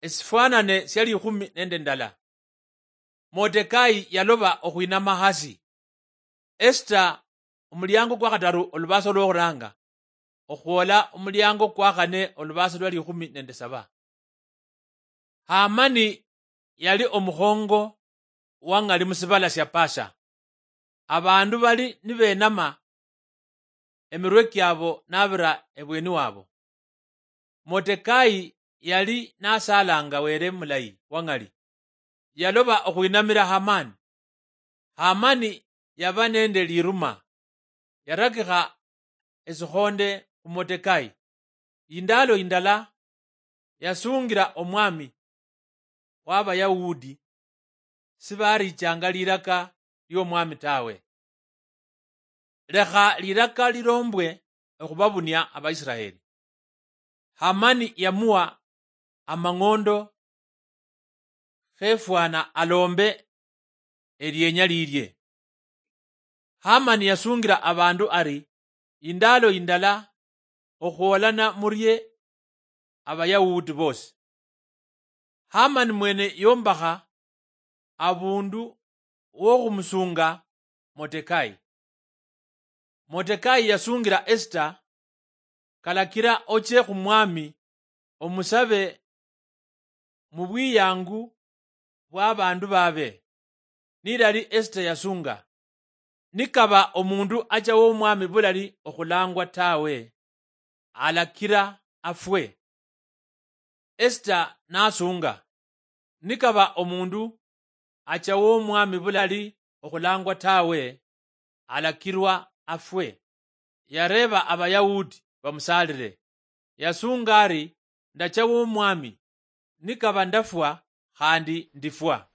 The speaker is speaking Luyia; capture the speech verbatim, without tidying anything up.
esifwanane sia likhumi nende ndala. Motekai yaloba okhwinama hasi. Esita, omuliango kwa khataru, olubasa lwokhuranga, okhwola omuliango kwa khane, olubasa lwa likhumi nende saba. Hamani yali omukhongo wa ng'ali mu sibala sia Pasha. Abandu bali nibenama, emirwe kiabo nabira ebweni wabo. Motekai yali nasalanga Were mulayi wa ng'ali. Yaloba okhwinamira Hamani. Hamani yaba nende liruma, yarakikha esikhonde khu Motekai. Indalo indala yasungira omwami wa Abayahudi sibarichanga liraka liomwami tawe. Lekha liraka lilombwe okhubabunia Abaisiraeli. Hamani yamuwa amang'ondo khefwana alombe elienya lilie. Hamani yasungira abandu ari, indalo indala okhwolana murie Abayahudi bosi. Hamani mwene yombakha abundu wokhumusunga Motekai. Motekai yasungira Esita, kalakira ochie khumwami omusabe mu bwiyangu bwa abandu babe. Nilali Esita yasunga, nikaba omundu acha womwami bulali okhulangwa tawe, alakira afwe. Esita nasunga, nikaba omundu acha womwami bulali okhulangwa tawe, alakirwa afwe. Yareba Abayahudi bamusalire. Yasunga ari, ndacha womwami, nikaba ndafwa khandi ndifwa.